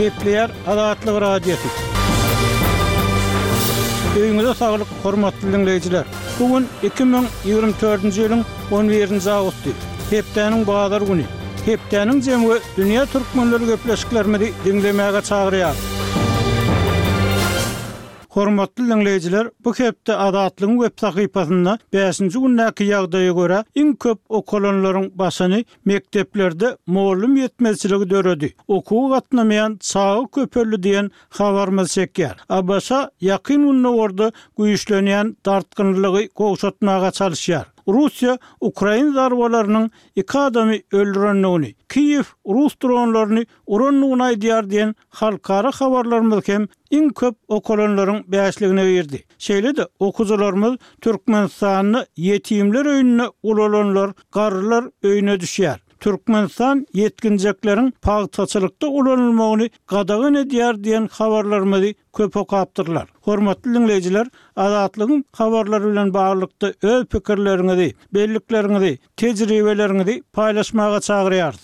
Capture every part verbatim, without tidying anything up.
Gepleýär Azatlyk Radiosy. Öýüňize saglyk, hormatly diňleýjiler! Bu gün iki müň ýigrimi dördünji ýylyň on birinji awgusty, hepdäniň bazar güni. Hepdäniň jemi we dünýä türkmenleri gepleşiklerimizi diňlemäge çagyrýar. Hormatly diňleýjiler, bu hepde Azatlygyň web sahypasynda bäşinji gündäki ýagdaýa görä iň köp okalanlaryň başyny mekdeplerde mugallym ýetmezçiligi döredi, okuwa gatnamaýan çaga köpeldi diýen habarymyz çekýär. ABŞ Ýakyn Gündogarda güýçlenýän dartgynlylygy gowşatmaga çalyşýar. Russiýa ukrain zarbalarynyň iki adamy öldürendigini, Kiýew rus dronlaryny urandygyny aýdýar diýen halkara habarlarymyz hem iň köp okalanlaryň bäşligine girdi. Şeýle-de okyjylarymyz Türkmenistanda ýetimler öýünde ulalanlar, garrylar öýüne düşýär. Türkmenistan ýetginjekleriň pagtaçylykda ulanylmagyny gadagan edýär diýen habarlarymyzy köp okapdyrlar. Hormatly diňleýjiler, Azatlygyň habarlary bilen baglylykda öz pikirleriňizi, bellikleriňizi, tejribeleriňizi paýlaşmaga çagyrýarys.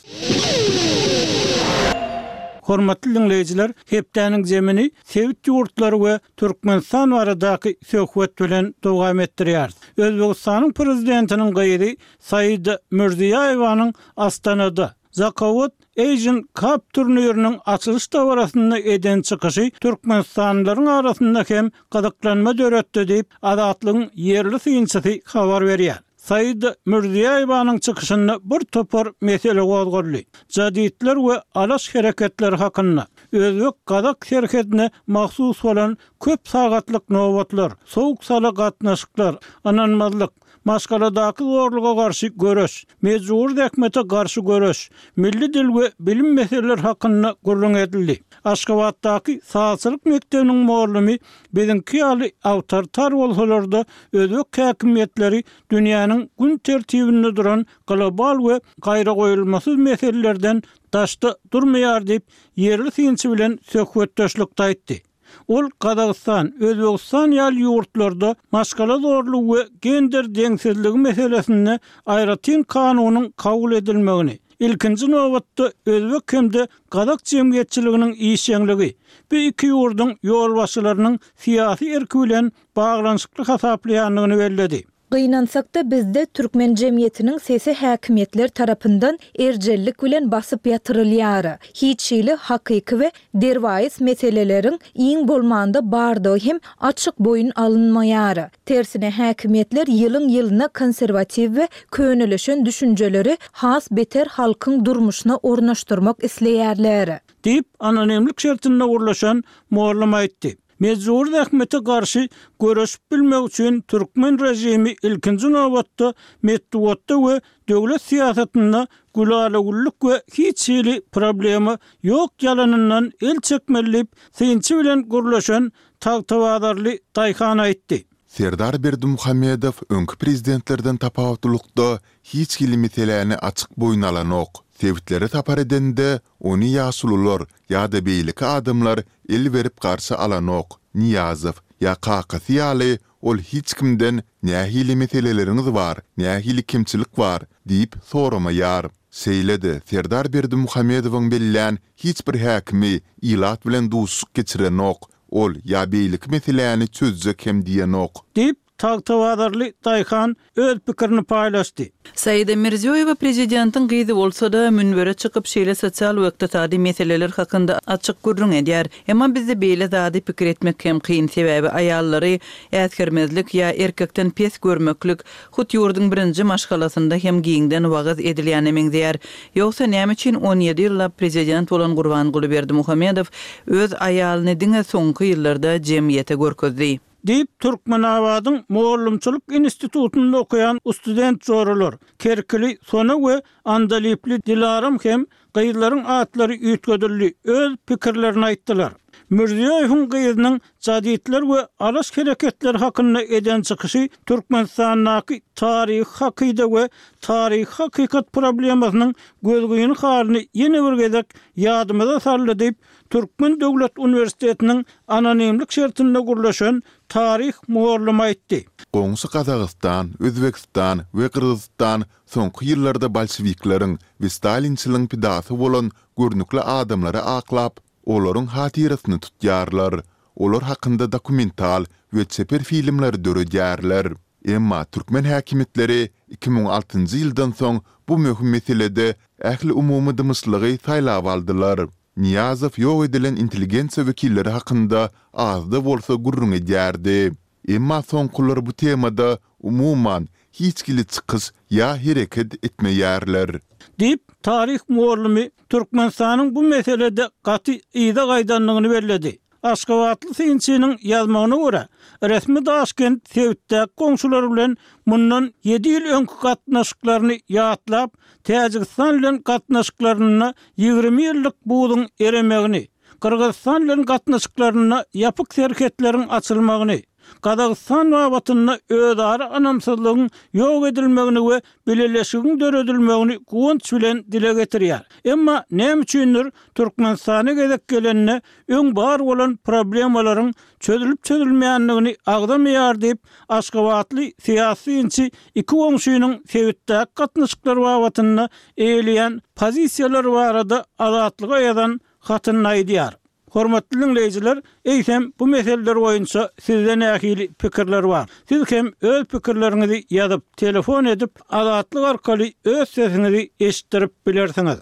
Hormatly diňleýjiler, hepdäniň zemini sebit ýurtlary we Türkmenistan baradaky söhbet bilen dowam etdirýäris. Özbegistanyň prezidentiniň gyzy Saida Mirziýoýewanyň Astanada Zakawat Asian Cup turniriniň açylyş dabarasynda eden çykyşy türkmenistanlylaryň arasynda hem gyzyklanma döretdi diýip, Azatlygyň ýerli synçysy habar berýär. Saida Mirziýoýewanyň çykyşynda bir topar mesele gozgaldy. Jadidler we Alaş hereketleri hakynda, özbek-gazak serhedine mahsus bolan köp sagatlyk nobatlar, sowuk-sala gatnaşyklar, ynanmazlyk, maşgaladaky zorluga garşy göreş, mejbury zähmete garşy göreş, milli dil we bilim meseleleri hakynda gürrüň edildi. Aşgabatdaky sazçylyk mekdebiniň mugallymy biziňki ýaly awtoritar bolsalar-da, özbek häkimiýetleri dünýäniň gün tertibinde duran global we gaýragoýulmasyz meselelerden daşda durmaýar diýip, ýerli synçy bilen söhbetdeşlikde aýtdy. Ol Gazagystan, Özbegistan ýaly ýurtlarda maşgala zorlugy we gender deňsizligi meselesinde aýratyn kanunyň kabul edilmegini, ilkinji nobatda özbek hem-de gazak jemgyýetçiliginiň işjeňligi, bu iki ýurduň ýolbaşçylarynyň syýasy erki bilen baglanyşykly hasaplaýandygyny belledi. Gynansak-da, bizde türkmen jemgyýetiniň sesi häkimiýetler tarapyndan erjellik bilen basyp ýatyrylýar. Hiç hili hakyky we derwaýys meseleleriň iň bolmanda bardygy hem açyk boýun alynmaýar. Tersine häkimiýetler ýylyň-ýylyna konserwatiw we könelişen düşünjeleri has beter halkyň durmuşyna ornaşdyrmak isleýärler. Diýip, anonimlik şertinde gürleşen mugallym aýtdy. Mejbury zähmete garşy göreşip bilmek üçin türkmen režimi ilkinji nobatda metbugatda we döwlet syýasatynda gülala-güllük we hiç hili problema ýok ýalanyndan el çekmeli diýip, synçy bilen gürleşen tagtabazarly daýhan aýtdy. Serdar Berdimuhamedow öňki prezidentlerden tapawutlylykda hiç hili meseläni açyk boýun alanok. Sebitlere sapar edende, ony ýaşulular ýa-da beýleki adamlar el berip garşy alanok. Nyýazow ýa kakasy ýaly ol hiç kimden nähili meseleleriňiz bar, nähili kemçilik bar diýip soramaýar. Şeýle-de Serdar Berdimuhamedowyň bellän hiç bir häkimi ilat bilen duşuşyk geçirenok, ol ýa beýleki meseläni çözjek hem diýenok. Diýip, tagtabazarly daýhan öz pikirini paýlaşdy. Saida Mirziýoýewa prezidentiň gyzy bolsa-da, münbere çykyp şeýle sosial we ykdysady meseleler hakynda açyk gürrüň edýär. Emma bizde beýle zady pikir etmek hem kyn, sebäbi aýallary äsgermezlik ýa erkekden pes görmeklik hut ýurduň birinji maşgalasynda hem giňden wagyz edilýäne meňzeýär. Ýogsa näme üçin on ýedi ýyllap prezident bolan Gurbanguly Berdimuhamedow öz aýalyny diňe soňky ýyllarda jemgyýete görkezdi? Diýip, Türkmenabadyň mugallymçylyk institutynda okaýan student joralar, Kerkili Sona we Andalyply Dilaram hem gyzlaryň atlary üýtgedildi, öz pikirlerini aýtdylar. Mirziýoýewiň gyzynyň jadidler we Alaş hereketleri hakynda eden çykyşy Türkmenistandaky taryhy hakyda we taryhy hakykat problemasynyň gözgyny halyny ýene bir gezek ýadymyza saldy diýip, Türkmen döwlet uniwersitetiniň anonimlik şertinde gürleşen taryh mugallymy aýtdy. Goňşy Gazagystan, Özbegistan we Gyrgyzystan soňky ýyllarda bolşewikleriň we stalinçiligiň pidasy bolan görnükli adamlary aklap, Olaryň hatyrasyny tutýarlar. Olar hakynda dokumental we çeper filmleri döredýärler. Emma türkmen häkimiýetleri iki müň altynjy ýyldan soň bu möhüm meselede ähliumumy dymyşlygy saýlap aldylar. Nyýazow ýok edilen intelligensiýa wekilleri hakynda az-da bolsa gürrüň edýärdi. Emma soňkular bu temada, umuman, hiç hili çykyş ýa hereket etmeýärler. Diýip, taryh mugallymy Türkmenistanyň bu meselede gaty yza gaýdandygyny belledi. Aşgabatly synçynyň ýazmagyna görä, resmi Daşkent sebitdäki goňşulary bilen mundan ýedi ýyl öňki gatnaşyklaryny ýatlap, Täjigistan bilen gatnaşyklarynda ýigrimi ýyllyk buzuň eremegini, Gyrgyzystan bilen gatnaşyklarynda ýapyk serhetleriň açylmagyny, Gazagystan babatynda özara ynamsyzlygyň ýok edilmegini we bileleşigiň döredilmegini guwanç bilen dile getirýär. Emma näme üçindir Türkmenistana gezek gelende öň bar bolan problemalaryň çözülip-çözülmeýändigini agzamaýar diýip, aşgabatly syýasy synçy iki goňşynyň sebitdäki gatnaşyklar babatynda eýeleýän pozisiýalary barada Azatlyga ýazan hatynda aýdýar. Hormatly diňleýjiler, eýsem bu meseleler boýunça sizde nähili pikirler bar? Siz hem öz pikirleriňizi ýazyp, telefon edip, Azatlyk arkaly öz sesiňizi eşitdirip bilersiňiz.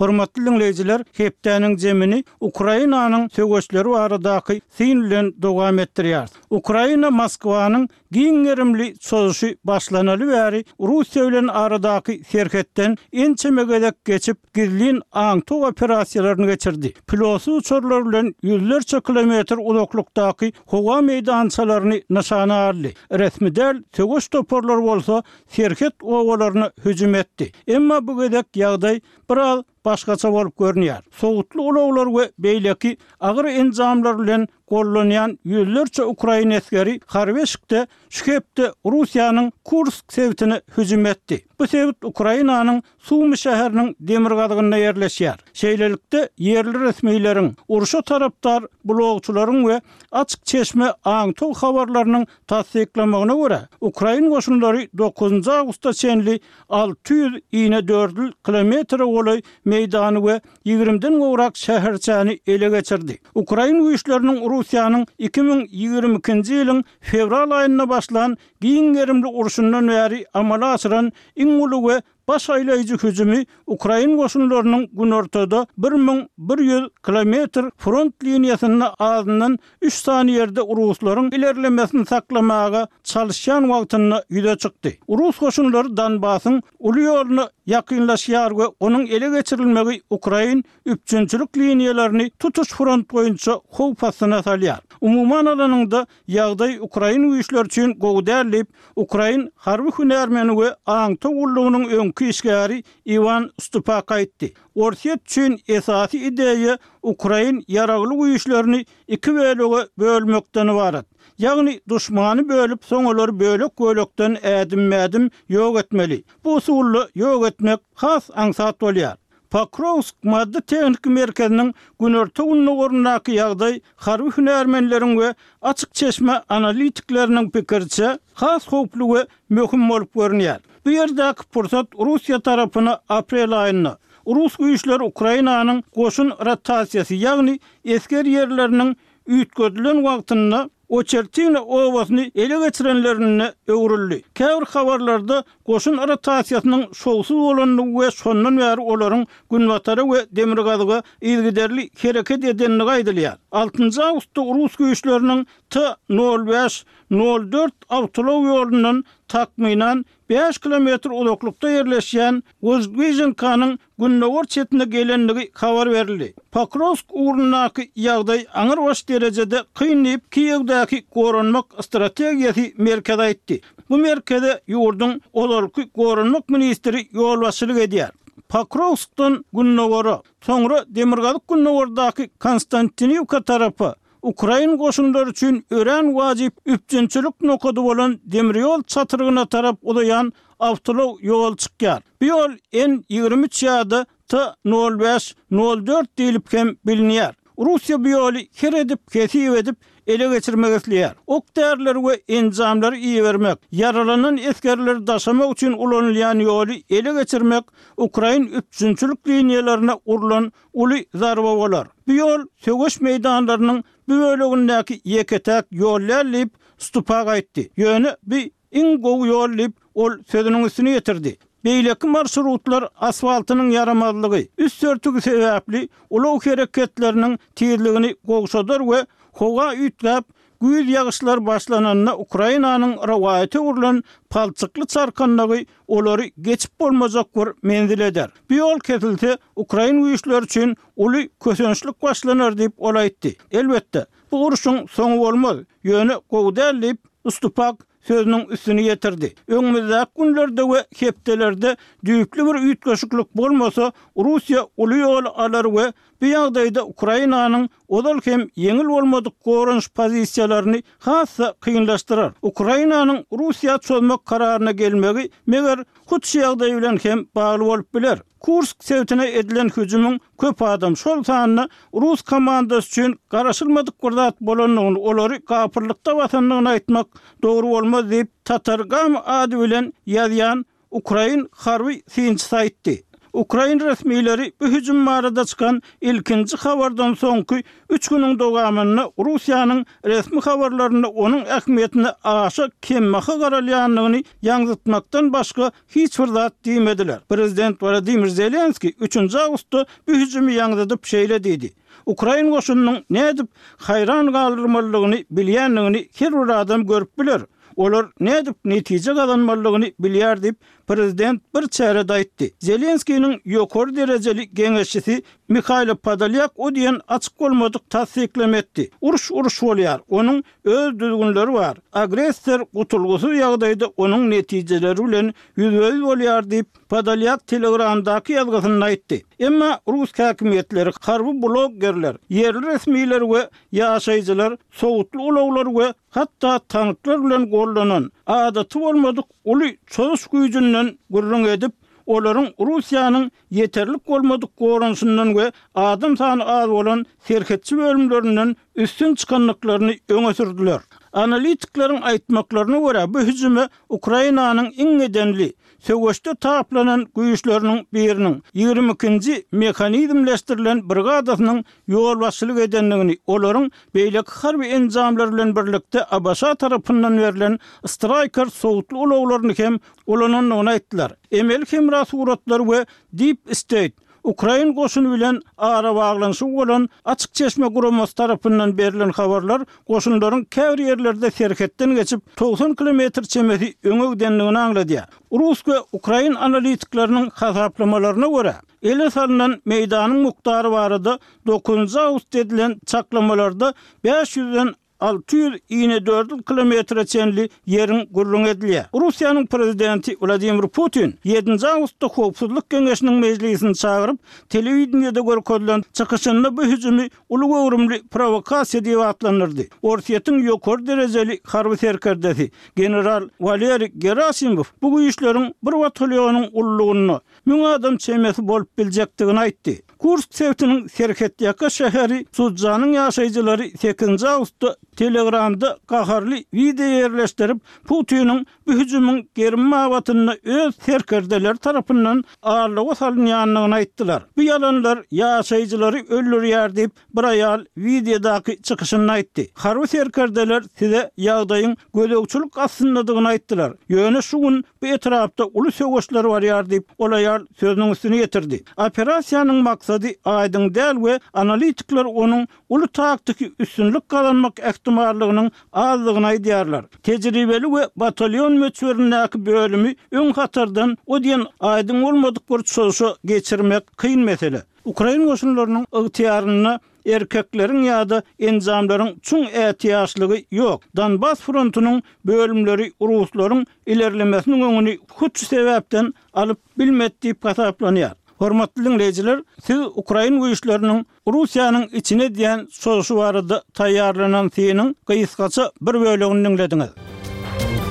Hormatly diňleýjiler, hepdäniň jemini Ukrainanyň söweşleri baradaky syn bilen dowam etdirýäris. Ukraina Moskwanyň Giň gerimli çozuşy başlanaly bäri Russiýa bilen aradaky serhetden ençeme gezek geçip, gizlin aňtaw operasiýalaryny geçirdi. Pilotsyz uçarlar bilen ýüzlerçe kilometr uzaklykdaky howa meýdançalaryny nyşana aldy. Resmi däl söweş toparlary bolsa serhet obalaryna hüjüm etdi. Emma bu gezek ýagdaý biraz başgaça bolup görünýär. Sowutly ulaglar we beýleki agyr enjamlar bilen gollanýan ýüzlerçe ukrain esgeri harby eşikde şu hepde Russiýanyň Kursk sebitine hüjüm etdi. Bu sebit Ukrainanyň Sumy şäheriniň demirgazygynda ýerleşýär. Şeýlelikde, ýerli resmileriň, urşa tarapdar blogçylaryň we açyk çeşme aňtaw habarlarynyň tassyklamagyna görä, ukrain goşunlary dokuzynjy awgusta çenli alty ýüz inedördül kilometre golaý meýdany we ýigrimiden gowrak şäherçäni ele geçirdi. Ukrain güýçleriniň Russiýanyň iki müň ýigrimi ikinji ýylyň fewral aýynda başlan giň gerimli urşundan bäri amala aşyran iň uly we baş aýlaýjy hüjümi ukrain goşunlarynyň günortada bir müň bir ýüz kilometr front liniýasynda azyndan üç sany ýerde ruslaryň ilerlemesini saklamaga çalyşýan wagtynda ýüze çykdy. Rus goşunlary Donbasyň uly ýoluna ýakynlaşýar we onuň ele geçirilmegi ukrain üpjünçilik liniýalaryny tutuş front boýunça howp astyna salýar. Umuman alanyňda, ýagdaý ukrain güýçleri üçin gowy däl diýip, ukrain harby hünärmeni we aňtaw gullugynyň öňki işgäri Iwan Stupak aýtdy. Orsýet üçin esasy ideýa ukrain ýaragly güýçlerini iki bölege bölmekden ybarat. Ýagny duşmany bölüp, soň olary bölek-bölekden ädimme-ädim ýok etmeli. Bu usulda ýok etmek has aňsat bolýar. Pokrowsk maddy-tehniki merkeziniň günorta-gündogaryndaky ýagdaý harby hünärmenleriň we açyk çeşme analitikleriniň pikiriçe, has howply we möhüm bolup görünýär. Bu ýerdäki pursat Russiýa tarapyna aprel aýynda, rus güýçleri Ukrainanyň goşun rotasiýasy, ýagny esger ýerleriniň üýtgedilen wagtynda Oçertino obasyny ele geçirenlerinde öwrüldi. Käbir habarlarda goşun rotasiýasynyň şowsuz bolandygy we şondan bäri olaryň günbatara we demirgazyga yzygiderli hereket edendigi aýdylýar. Altynjy awgustda rus güýçleriniň T nol bäş, nol dört awtoulag ýolundan takmynan bäş kilometr uzaklykda ýerleşýän Wozdwiženkanyň gündogar çetine gelendigi habar berildi. Pokrowsk ugrundaky ýagdaý aňrybaş derejede kyn diýip, Kiýewdäki Goranmak strategiýasy merkezi aýtdy. Bu merkeze ýurduň ozalky goranmak ministri ýolbaşçylyk edýär. Pokrowskdan gündogara, soňra demirgazyk-gündogardaky Konstantiniwka tarapa, ukrain goşunlary üçin örän wajyp üpjünçilik nokady bolan demir ýol çatrygyna tarap uzaýan awtoulag ýoly çykýar. Bu ýol N ýigrimi üç ýa-da T nol bäş, nol dört diýlip hem bilinýär. Russiýa bu ýoly her edip, hesip edip, ele geçirmek isleýär. Ok-därileri we enjamlary ibermek, ýaralanan esgerleri daşamak üçin ulanylýan ýoly ele geçirmek ukrain üpjünçilik liniýalaryna urlan uly zarba bolar. Bu ýol söweş meýdanlarynyň bu bölegindäki ýeke-täk ýol däl diýip Stupak aýtdy. Ýöne bu iň gowy ýol diýip ol sözüniň üstüni ýetirdi. Beýleki marşrutlar asfaltynyň ýaramazlygy, üst örtügi sebäpli ulag hereketleriniň tizligini gowşadar we howa üýtgäp, güýz ýagyşlar başlananda Ukrainanyň rowaýata öwrülen palçykly çarkandagy olary geçip bolmajak bir menzil eder. Bu ýol kesilse, ukrain güýçleri üçin uly kösençlik başlanar diýip ol aýtdy. Elbetde, bu urşuň soňy bolmaz, ýöne gowy däl diýip Stupak sözüniň üstüni ýetirdi. Öňümizdäki günlerde we hepdelerde düýpli bir üýtgeşiklik bolmasa, Russiýa uly ýol alar we bu ýagdaýda Ukrainanyň ozal hem ýeňil bolmadyk goranyş pozisiýalaryny has-da kynlaşdyrar. Ukrainanyň Russiýa çozmak kararyna gelmegi meger hut şu ýagdaý bilen hem bagly bolup biler. Kursk sebitine edilen hüjümiň köp adam, şol sanda rus komandasy üçin garaşylmadyk bir zat bolandygyny, olary gapyrlykda basandygyny aýtmak dogry bolmaz diýip, Tatargam ady bilen ýazýan ukrain harby synçysy aýtdy. Ukrain resmileri bu hüjüm barada çykan ilkinji habardan soňky üç günüň dowamynda Russiýanyň resmi habarlarynda onuň ähmiýetine aşa kembaha garalýandygyny ýaňzytmakdan başga hiç bir zat diýmediler. Prezident Wladimir Zelenskiý üçünji awgustda bu hüjümi ýaňzydyp şeýle diýdi: Ukrain goşunynyň nädip haýran galdyrmalydygyny bilýändigini her bir adam görüp biler. Olar nädip netije gazanmalydygyny bilýär diýip, prezident bir çärede aýtdy. Zelenskiniň ýokary derejeli geňeşçisi Mihailo Podolyak o diýen açyk bolmadyk tassyklama etdi. Uruş uruş bolýar, onuň öz düzgünleri bar. Agressor gutulgysyz ýagdaýda onuň netijeleri bilen ýüzbe-ýüz bolýar diýip, Podolyak Telegramdaky ýazgysynda aýtdy. Emma rus häkimiýetleri, harby bloggerler, ýerli resmiler we ýaşaýjylar sowutly ulaglar we hatda tanklar bilen gollanan, adaty bolmadyk uly çozuş güýjünden gürrüň edip, olaryň Russiýanyň ýeterlik bolmadyk goranyşyndan we adam sany az bolan serhetçi bölümlerinden üstün çykandyklaryny öňe sürdüler. Analitikleriň aýtmaklaryna görä, bu hüjüme Ukrainanyň iň edenli, söweşde taplanan güýçleriniň biriniň ýigrimi ikinji mehanizmleşdirilen brigadasynyň ýolbaşçylyk edendigini, olaryň beýleki harby enjamlar bilen birlikde ABŞ tarapyndan berlen Striker sowutly ulaglaryny hem ulanandygyny aýtdylar. Emeli hemra suratlary we Deep State, ukrain goşuny bilen arabaglanyşygy bolan Açyk çeşme guramasy tarapyndan berlen habarlar goşunlaryň käbir ýerlerde serhetden geçip togsan kilometr çemesi öňe gidendigini aňladýar. Rus we ukrain analitikleriniň hasaplamalaryna görä, ele salynan meýdanyň mukdary barada dokuzynjy awgustda edilen çaklamalarda bäş ýüzden alty ýüz inedördül kilometre çenli ýeriň gürrüň edilýär. Russiýanyň prezidenti Wladimir Putin ýedinji awgustda Howpsuzlyk geňeşiniň mejlisini çagyryp, telewideniýede görkezilen çykyşynda bu hüjümi uly göwrümli prowokasiýa diýip atlandyrdy. Orsýetiň ýokary derejeli harby serkerdesi general Waleriý Gerasimov bu güýçleriň bir batalýonyň ululygynda müň adam çemesi bolup biljekdigini aýtdy. Kursk sebitiniň serhetýaka şäheri Sudzanyň ýaşaýjylary sekizinji awgustda Telegramda gaharly wideo ýerleşdirip, Putiniň bu hüjümiň gerim babatynda öz serkerdeleri tarapyndan aldawa salynýandygyny aýtdylar. Bu ýalanlar ýaşaýjylary öldürýär diýip, bir aýal wideodaky çykyşynda aýtdy. Harby serkerdeler size ýagdaýyň gözegçilik astyndadygyny aýtdylar. Ýöne şu gün bu etrapda uly söweşler barýar diýip, ol aýal sözüniň üstüni ýetirdi. Operasiýanyň maksady aýdyň däl we analitikler onuň uly taktiki üstünlik gazanmak ähtimallygynyň azdygyny aýdýarlar. Tejribeli we batalýon möçberindäki bölümi öň hatardan o diýen aýdyň bolmadyk bir çozuşa geçirmek kyn mesele. Ukrain goşunlarynyň ygtyýarynda erkekleriň ýa-da enjamlaryň çuň ätiýaçlygy ýok. Donbas frontunyň bölümleri ruslaryň ilerlemesiniň öňüni hut şu sebäpden alyp bilmedi diýip hasaplanýar. Hormatly dinleýjiler, siz ukrain güýçleriniň Russiýanyň içine edýän çozuşy barada taýýarlanan synyň gysgaça bir bölegini diňlediňiz.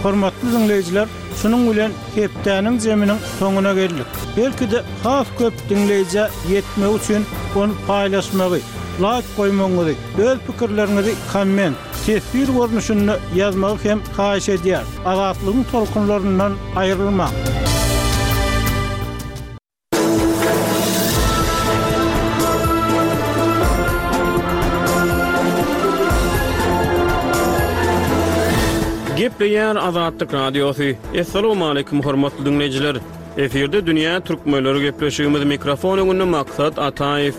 Hormatly dinleýjiler, şunuň bilen hepdäniň zeminiň soňuna geldik. Belki-de has köp dinleýjä ýetmek üçin ony paýlaşmagy, laýk goýmagyňyzy, öz pikirleriňizi komment teswir görnüşinde ýazmagy hem haýyş edýär. Azatlygyň tolkunlaryndan aýrylmaň. Gepleýär Azatlyk Radiosy. Assalamualaikum hormatly dinleýjiler. Efirde Dünýä Türkmenleri gepleşigimiz mikrofon öňünde Maksat Ataýew.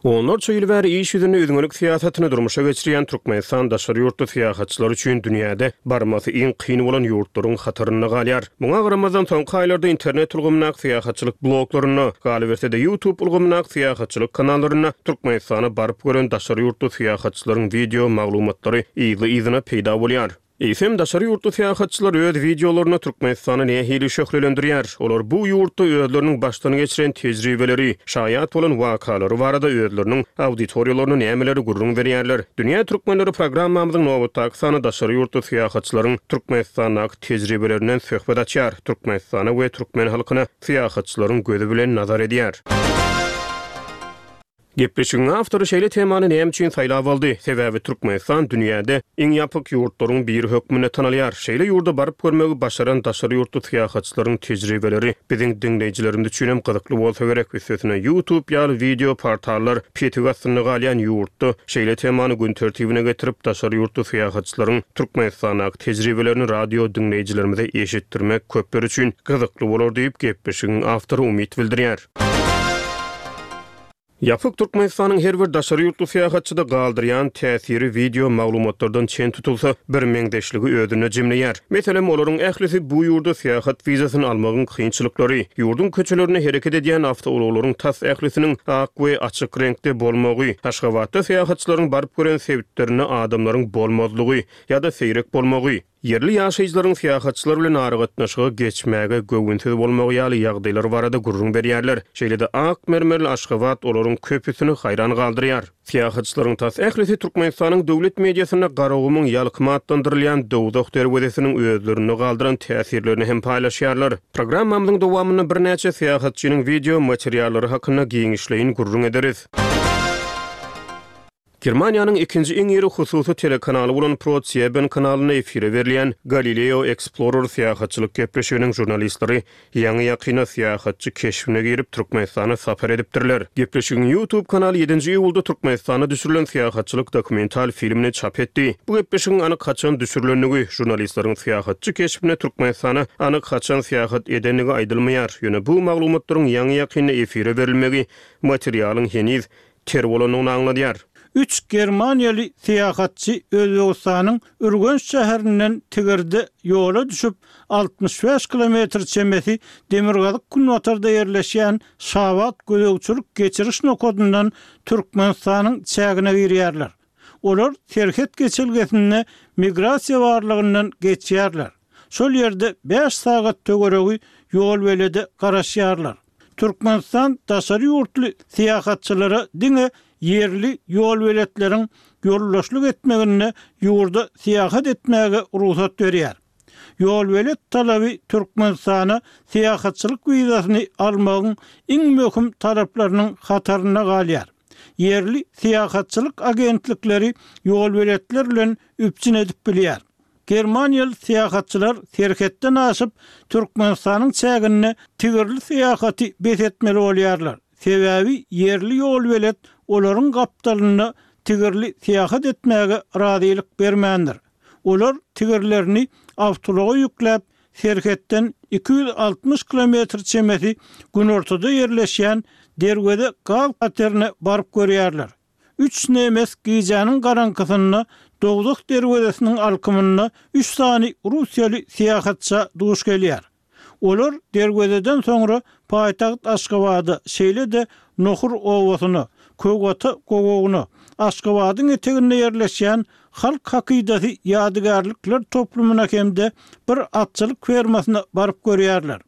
Onlarça ýyl bäri iş ýüzünde üzňelik syýasatyny durmuşa geçirýän Türkmenistan daşary ýurtly syýahatçylar üçin dünýäde barmasy iň kyn bolan ýurtlaryň hatarynda galýar. Muňa garamazdan soňky aýlarda internet ulgamyndaky syýahatçylyk bloglarynda, galyberse-de YouTube ulgamyndaky syýahatçylyk kanallarynda Türkmenistana baryp gören daşary ýurtly syýahatçylaryň wideo maglumatlary yzly-yzyna peýda bolýar. Eýsem daşary ýurtly syýahatçylar öz wideolaryny Türkmenistana nähili şöhlelendirýär? Olar bu ýurtda özleriniň başdan geçiren tejribeleri, şaýat bolan wakalary barada özleriniň auditoriýalaryna nämeleri gürrüň berýärler? Dünýä Türkmenleri programmamyzyň nobatdaky sany daşary ýurtly syýahatçylaryň Türkmenistandaky tejribelerinden söhbet açýar. Türkmenistana we türkmen halkyna syýahatçylaryň gözi bilen nazar edýär. Gepleşigiň awtory şeýle temany näme üçin saýlap aldy? Sebäbi Türkmenistan dünýäde iň ýapyk ýurtlaryň biri hökmünde tanalýar. Şeýle ýurda baryp görmegi başaran daşary ýurtly syýahatçylaryň tejribeleri biziň diňleýjilerimiz üçin hem gyzykly bolsa gerek. Üstesine YouTube ýaly wideo portallar petik astynda galýan ýurtda şeýle temany gün tertibine getirip daşary ýurtly syýahatçylaryň Türkmenistandaky tejribelerini radio diňleýjilerimize eşitdirmek köpler üçin gyzykly bolar diýip gepleşigiň awtory umyt bildirýär. Ýapyk Türkmenistanyň her bir daşary ýurtly syýahatçyda galdyrýan täsiri wideo maglumatlardan çen tutulsa bir meňzeşligi özünde jemleýär. Meselem, olaryň ählisi bu ýurda syýahat wizasyny almagyň kynçylyklary, ýurduň köçelerinde hereket edýän awtoulaglaryň tas ählisiniň ak we açyk reňkde bolmagy, Aşgabatda syýahatçylaryň baryp gören sebitlerinde adamlaryň bolmazlygy ýa-da seýrek bolmagy, ýerli ýaşaýjylaryň syýahatçylar bilen aragatnaşyga geçmäge göwünsiz bolmagy ýaly ýagdaýlar barada gürrüň berýärler. Şeýle-de ak mermerli Aşgabat olaryň köpüsini haýran galdyrýar. Syýahatçylaryň tas ählisi Türkmenistanyň döwlet mediasynda Garagumuň ýalkymy atlandyrylýan Dowzah derwezesiniň özlerinde galdyran täsirlerini hem paýlaşýarlar. Programmamyzyň dowamynda birnäçe syýahatçynyň wideo materiallary hakynda giňişleýin gürrüň ederis. Germaniýanyň ikinji iň iri hususy telekanaly bolan ProSieben kanalynda efire berilýän Galileo Explorer syýahatçylyk gepleşiginiň žurnalistleri ýaňy ýakyna syýahatçy keşbine girip Türkmenistana sapar edipdirler. Gepleşigiň YouTube kanaly ýedinji iýulda Türkmenistana düşürilen syýahatçylyk dokumental filmini çap etdi. Bu gepleşigiň anyk haçan düşürilendigi, žurnalistleriň syýahatçy keşbine Türkmenistana anyk haçan syýahat edendigi aýdylmaýar. Ýöne bu maglumatlaryň ýaňy ýakynda efire berilmegi materialyň heniz ter bolandygyny aňladýar. Üç Germaniýaly syýahatçy Özbegistanyň Ürgenç şäherinden Tigirde ýola düşüp altmyş bäş kilometr çemesi Demirgazyk günbatarda ýerleşýän Şabat gözegçilik geçiriş nokadyndan Türkmenistanyň çägine girýärler. Olar serhet geçelgesinde migrasiýa barlygyndan geçýärler. Şol ýerde bäş sagat töweregi ýol belede garaşýarlar. Türkmenistan daşary ýurtly syýahatçylara diňe ýerli ýol beletleriň ýoldaşlyk etmeginde ýurda syýahat etmäge rugsat berýär. Ýol belet talaby Türkmenistana syýahatçylyk wizasyny almagyň iň möhüm taraplarynyň hatarynda galýar. Ýerli syýahatçylyk agentlikleri ýol beletler bilen üpjün edip bilýär. Germaniýaly syýahatçylar serhetden aşyp Türkmenistanyň çäginde tigirli syýahaty bes etmeli bolýarlar. Sebäbi ýerli ýol belet olaryň gapdalynda tigirli syýahat etmäge razylyk bermändir. Olar tigirlerini awtoulaga ýükläp serhetden iki ýüz altmyş kilometr çemesi günortada ýerleşýän Derweze gaz katerine baryp görýärler. Üç nemes gijäniň garaňkysynda Dowzah derwezesiniň alkymynda üç sany russiýaly syýahatça duş gelýär. Olar derwezeden soňra paýtagt Aşgabada, şeýle-de Nohur obasyna, Kögata gowagyna, Aşgabadyň eteginde ýerleşýän Halk hakydasy ýadygärlikler toplumyna hem-de bir atçylyk fermasyna baryp görýärler.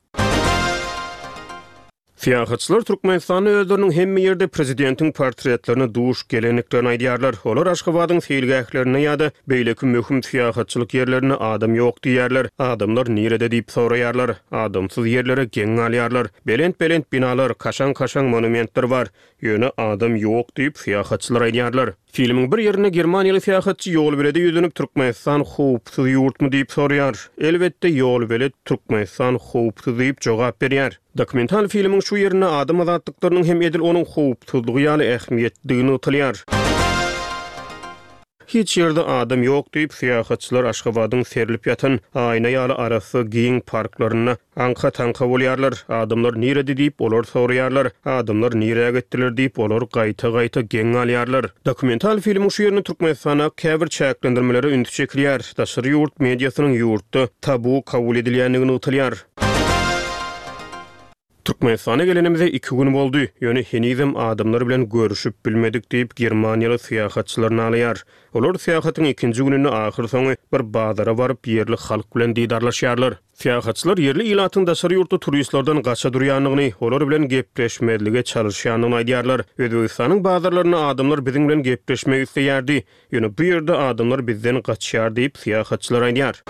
Syýahatçylar Türkmenistanda özleriniň hemme ýerde prezidentiň portretlerine duş gelendiklerini aýdýarlar. Olar Aşgabadyň seýilgählerinde ýa-da beýleki möhüm syýahatçylyk ýerlerinde adam ýok diýýärler. Adamlar nirede diýip soraýarlar. Adamsyz ýerlere geň galýarlar. Belent-belent binalar, kaşaň-kaşaň monumentler bar. Ýöne adam ýok diýip, syýahatçylar aýdýarlar. Filmiň bir ýerinde germaniýaly syýahatçy ýolbelede ýüzlenip, Türkmenistan howpsuz ýurtmy diýip soraýar. Elbetde, ýolbelet Türkmenistan howpsuz diýip jogap berýär. Dokumental filmiň şu ýerinde adam azatlyklarynyň hem edil onuň howpsuzlygy ýaly ähmiýetlidigi nygtalýar. Hiç ýerde adam ýok diýip, syýahatçylar Aşgabadyň serlip ýatan, aýna ýaly arassa giň parklarynda aňka-taňka bolýarlar. Adamlar nirede diýip, olar soraýarlar. Adamlar nirä gitdiler diýip, olar gaýta-gaýta geň galýarlar. Dokumental filmiň şu ýerinde Türkmenistanda käbir çäklendirmelere üns çekilýär. Daşary ýurt mediasynyň ýurtda tabu kabul edilýändigi nygtalýar. Türkmenistana gelenimize iki gün boldy, ýöne henizem adamlar bilen görüşip bilmedik diýip, germaniýaly syýahatçylar nalaýar. Olar syýahatyň ikinji gününde ahyrsoňy bir bazara baryp, ýerli halk bilen didarlaşýarlar. Syýahatçylar ýerli ilatyň daşary ýurtly turistlerden gaça durýandygyny, olar bilen gepleşmezlige çalyşýandygyny aýdýarlar. Özbegistanyň bazarlarynda adamlar biziň bilen gepleşmek isleýärdi, ýöne bu ýerde adamlar bizden gaçýar diýip, syýahatçylar aýdýar.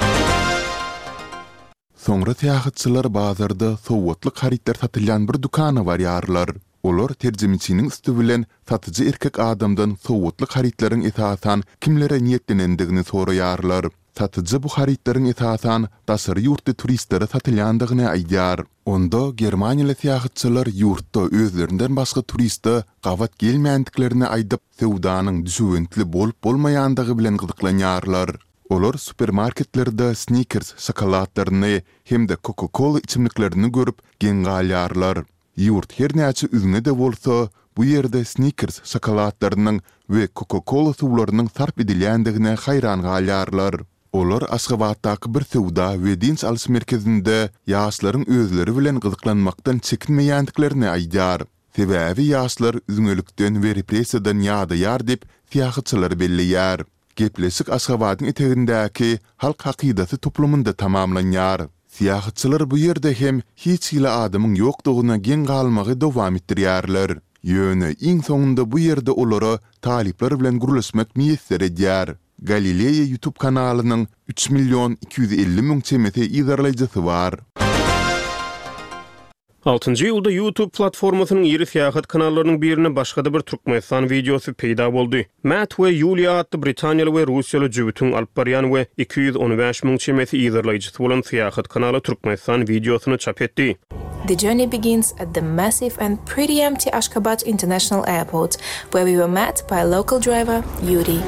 Soňra syýahatçylar bazarda sowgatlyk harytlar satylýan bir dükana barýarlar. Olar terjimeçiniň üsti bilen satyjy erkek adamdan sowgatlyk harytlaryň esasan kimlere niýetlenendigini soraýarlar. Satyjy bu harytlaryň esasan daşary ýurtly turistlere satylýandygyny aýdýar. Onda germaniýaly syýahatçylar ýurtda özlerinden başga turiste gabat gelmändiklerini aýdyp, söwdanyň düşewüntli bolup-bolmaýandygy bilen gyzyklanýarlar. Olar supermarketlerde Snickers şokoladlaryny hem-de Coca-Cola içimliklerini görüp, geň galýarlar. Ýurt her näçe üzňe-de bolsa, bu ýerde Snickers şokoladlarynyň we Coca-Cola suwlarynyň sarp edilýändigine haýran galýarlar. Olar Aşgabatdaky bir söwda we dynç alyş merkezinde ýaşlaryň özleri bilen gyzyklanmakdan çekinmeýändiklerini aýdýar. Sebäbi ýaşlar üzňelikden we repressiýadan ýadaýar diýip, syýahatçylar belleýär. Gepleşik Aşgabadyň etegindäki Halk hakydasy toplumynda tamamlanýar. Syýahatçylar bu ýerde hem hiç hili adamyň ýokdugyna geň galmagy dowam etdirýärler. Ýöne iň soňunda bu ýerde olara talyplar bilen gürleşmek miýesser edýär. Galileýa YouTube kanalynyň üç million iki ýüz elli müň çemesi yzarlaýjysy bar. Altynjy iýulda YouTube platformasynyň iri syýahat kanallarynyň birinde başga-da bir Türkmenistan wideosy peýda boldy. Matt we Ýuliýa atly britaniýaly we russiýaly jübütiň alyp barýan we iki ýüz on bäş müň çemesi yzarlaýjysy bolan syýahat kanaly Türkmenistan wideosyny çap etdi. The journey begins at the massive and pretty empty Ashgabat International Airport, where we were met by local driver Yuri.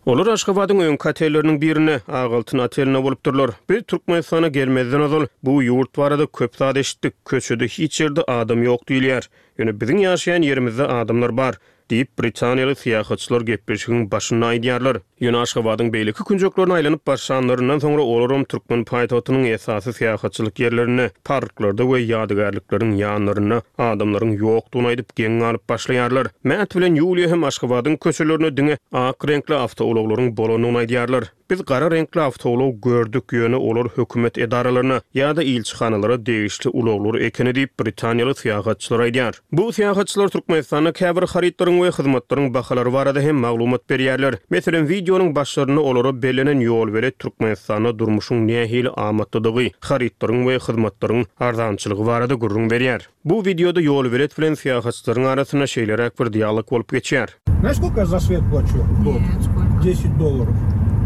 Olar Aşgabadyň öňki otelleriniň birinde, Ak altyn otelinde bolupdyrlar. Biz Türkmenistana gelmezden ozal bu ýurt barada köp zat eşitdik. Köçede hiç ýerde adam ýok diýilýär. Ýöne biziň ýaşaýan ýerimizde adamlar bar, diýip, britaniýaly syýahatçylar gepleşigiň başynda aýdýarlar. Ýöne Aşgabadyň beýleki künjeklerine aýlanyp başlanlaryndan soňra olaram türkmen paýtagtynyň esasy syýahatçylyk ýerlerinde, parklarda we ýadygärlikleriň ýanlarynda adamlaryň ýokdugyny aýdyp, geň galyp başlaýarlar. Matt bilen Ýuliýa hem Aşgabadyň köçelerinde diňe ak reňkli awtoulaglaryň bolandygyny aýdýarlar. Biz gara reňkli awtoulag gördük, ýöne olar hökümet edaralaryna ýa-da ilçihanalara degişli ulaglar ekeni diýip, britaniýaly syýahatçylar aýdýar. Bu syýahatçylar Türkmenistanda käbir harytlaryň we hyzmatlaryň bahalary barada hem maglumat berýärler. Meselem, wideonyň başlarynda olara bellenen ýolbelet Türkmenistanda durmuşyň nähili amatlydygy, harytlaryň we hyzmatlaryň arzançylygy barada gürrüň berýär. Bu wideoda ýolbelet bilen syýahatçylaryň arasynda şeýleräk bir dialog bolup geçýär. Znaешь, сколько я за свет плачу? В год? Нет, сколько? Десять долларов.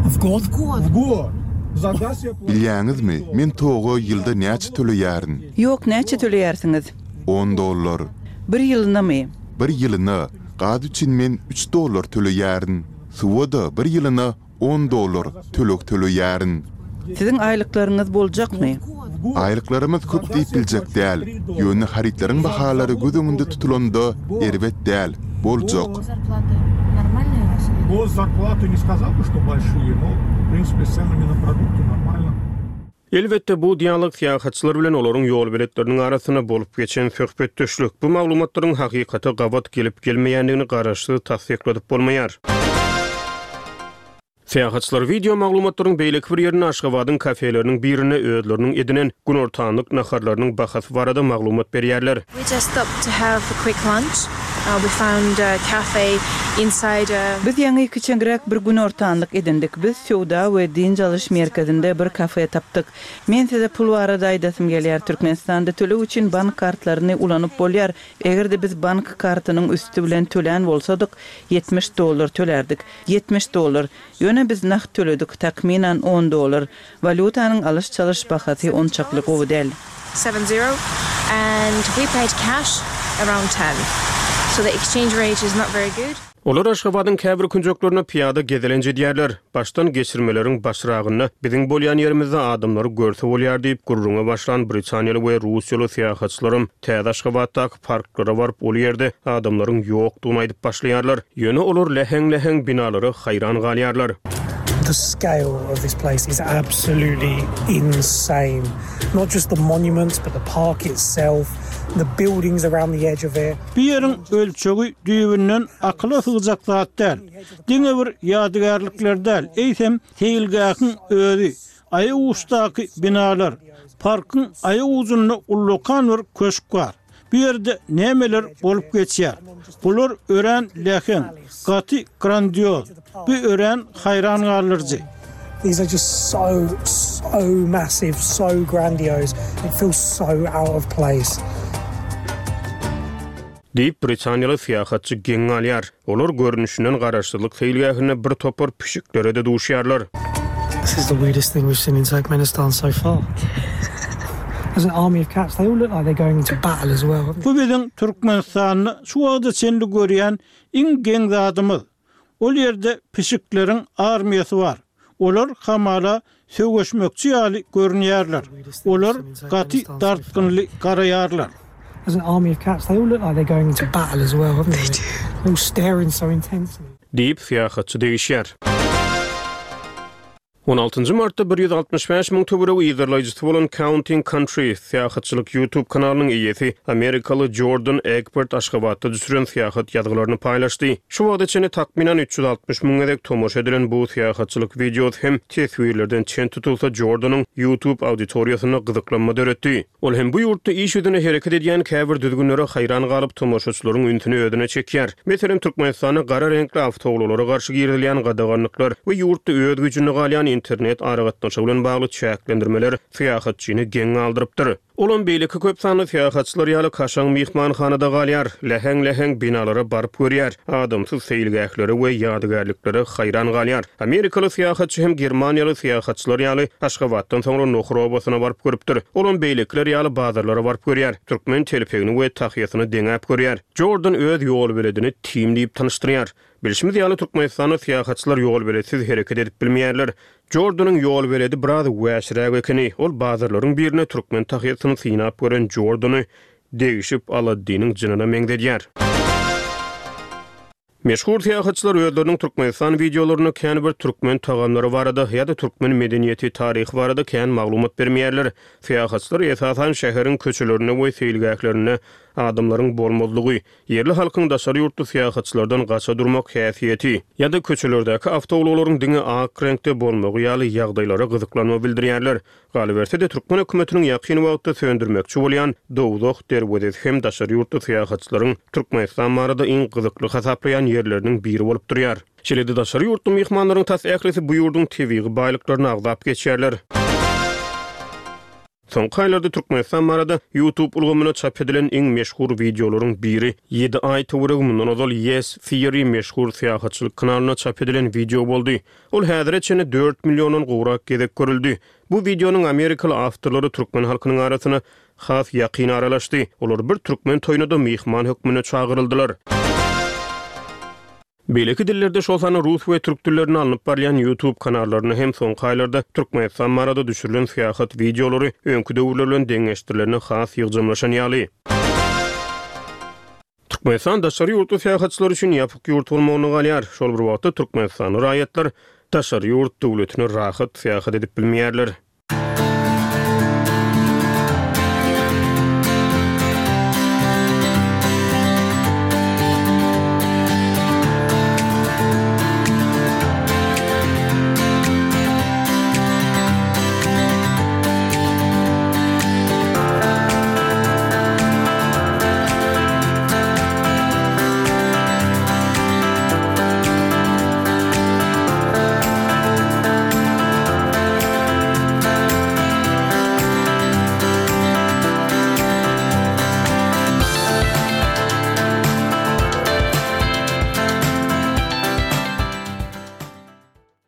В год? В год. В год. За газ я плачу. Bilýäňizmi, men toga ýylda näçe töleýärin? Ýok, näçe töleýärsiňiz? On dollar. Bir ýylynamy? Bir ýylyna. Gaz üçin men üç dollar töleýärin. Suwa-da bir ýylyna on dollar töleg töleýärin. Siziň aýlyklaryňyz boljakmy? Aýlyklarymyz köp diýip biljek däl. Ýöne harytlaryň bahalary göz öňünde tutulanda erbet däl, boljak. Госзарплаты не сказал бы, что большие, но, в принципе, с ценами на продукты нормально. Elbetde, bu dialog syýahatçylar bilen olaryň ýolbeletleriniň arasynda bolup geçen söhbetdeşlik. Bu maglumatlaryň hakykata gabat gelip gelmeýändigini garaşsyz tassykladyp bolmaýar. Syýahatçylar wideo maglumatlaryň beýleki bir ýerinde Aşgabadyň kafeleriniň birinde özleriniň edinen günortanlyk naharlarynyň bahasy barada maglumat berýärler. We just stopped to have a quick lunch. Uh, we found a cafe inside a Biz ýaňy kiçeňräk bir günortanlyk edindik. Biz söwda we dynç alyş merkezinde bir kafe tapdyk. Men size pul barada aýdasym gelýär. Türkmenistanda töleg üçin bank kartlaryny ulanyp bolýar. Eger-de biz bank kartynyň üsti bilen tölän bolsadyk, ýetmiş dollar tölerdik. ýetmiş dollar. Ýöne biz nagt töledik, takmynan on dollar. Walýutanyň alyş-çalyş bahasy onçakly gowy däl. Seven zero and we paid cash around ten. So the exchange rate is not very good. Olar Aşgabadyň käbir künjeklerine pyýada gezelenç edýärler. Başdan geçirmeleriň başragynda biziň bolýan ýerimizde adamlary görse bolýar diýip gürrüňe başlan Britaniýaly we Russiýaly syýahatçylarym täze Aşgabatdaky parklara baryp, ol ýerde adamlaryň ýokdugyny aýdyp başlaýarlar. Ýöne olar läheň-läheň binalara haýran galýarlar. The scale of this place is absolutely insane. Not just the monuments, but the park itself, the buildings around the edge of it. Bu ýeriň ölçegi düýbünden akyla sygjak zat däl. Diňe bir ýadygärlikler däl, eýsem seýilgähiň özi, aýaguçdaky binalar, parkyň aýagujunda ullakan bir köşk bar. Bu ýerde nämeler bolup geçýär? Bular örän läheň, gaty grandioz, bu örän haýran galdyryjy. These are just so, so massive, so grandiose. It feels so out of place. Diýip Britaniýaly syýahatçy geň galýar. Olar görnüşinden garaşsyzlyk seýilgähinde bir topar pişiklere-de duşýarlar. This is the weirdest thing we've seen in Turkmenistan so far. There's an army of cats. They all look like they're going into battle as well. Bu biziň Türkmenistanda şu wagta çenli görýän iň geň zadymyz. Ol ýerde pişikleriň armiýasy bar. Olar hamala söweşmekçi ýaly görünýärler. Olar gaty dartgynly garaýarlar. There's an army of cats. They all look like they're going into battle as well, haven't they? They're all staring so intensely. Diýip syýahatçy degişýär. On altynjy martda bir ýüz altmyş bäş müň töweregi yzarlaýjysy bolan Counting Countries syýahatçylyk YouTube kanalynyň eýesi Amerikaly Jordan Egbert Aşgabatda düşüren syýahat ýazgylaryny paýlaşdy. Şu wagta çenli takmynan üç ýüz altmyş müň gezek tomaşa edilen bu syýahatçylyk wideosy hem teswirlerden çen tutulsa Jordanyň YouTube auditoriýasynda gyzyklanma döretdi. Ol hem bu ýurtda iş ýüzüne hereket edýän käbir düzgünlere haýran galyp tomaşaçylaryň ünsüni özüne çekýär. Meselem, Türkmenistanda gara reňkli awtoulaglara garşy girizilýän gadaganlyklar we ýurtda öz güýjünde galýan internet aragatnaşygy bilen bagly çäklendirmeler syýahatçyny geň galdyrypdyr. Olam beýleki köp sanly syýahatçylar ýaly kaşaň myhmanhanada galýar, läheň-läheň binalara baryp görýär, adamsyz seýilgählere we ýadygärliklere haýran galýar. Amerikaly syýahatçy hem Germaniýaly syýahatçylar ýaly Aşgabatdan soňra Nohur obasyna baryp görüpdir. Olam beýlekiler ýaly bazarlara baryp görýär, türkmen telpegini we tahyýasyny deňäp görýär. Jordan öz ýol beledini Tim diýip tanyşdyrýar. Bilşimiz ýaly Türkmenistanda syýahatçylar ýol beletsiz hereket edip bilmeýärler. Jordanyň ýol beledi biraz wäşiräk ekeni. Ol bazarlaryň birine türkmen tahyýasyny synap gören Jordany degişip Aladdiniň jynyna meňzedýär. Meşhur syýahatçylar özleriniň Türkmenistan wideolarynda kän bir türkmen tagamlary barada ýa-da türkmen medeniýeti taryhy barada kän maglumat bermeýärler. Syýahatçylar esasan şäheriň köçelerinde we seýilgählerinde adamlaryň bolmazlygy, ýerli halkyň daşary ýurtly syýahatçylardan gaça durmak häsiýeti ýa-da köçelerdäki awtoulaglaryň diňe ak reňkde bolmagy ýaly ýagdaýlara gyzyklanma bildirýärler. Galyberse-de türkmen hökümetiniň ýakyn wagtda söndürmekçi bolýan Dowzah derwezesi hem daşary ýurtly syýahatçylaryň Türkmenistan barada iň gyzykly hasaplaýan ýerleriniň biri bolup durýar. Şeýle-de daşary ýurtly myhmanlaryň tas ählisi bu ýurduň tebigy baýlyklaryny agzap geçýärler. Soňky aýlarda Türkmenistan barada YouTube ulgamyna çap edilen iň meşhur wideolaryň biri ýedi aý töweregi mundan ozal Yes Theory meşhur syýahatçylyk kanalyna çap edilen wideo boldy. Ol häzire çenli dört milliondan gowrak gezek görüldi. Bu wideonyň Amerikaly awtorlary türkmen halkynyň arasyna has ýakyn aralaşdy. Olar bir türkmen toýuna-da myhman hökmünde çagyryldylar. Beýleki dillerde şol sanda rus we türk dillerinde alnyp barýan YouTube kanallaryny hem soňky aýlarda Türkmenistan barada düşürilen syýahat wideolary öňki döwürler bilen deňeşdirilerine has ýygjamlaşan ýaly. Türkmenistan daşary ýurtly syýahatçylar üçin ýapyk ýurt bolmagyna galýar. Şol bir wagtda Türkmenistanly raýatlar daşary ýurt döwletine rahat syýahat edip bilmeýärler.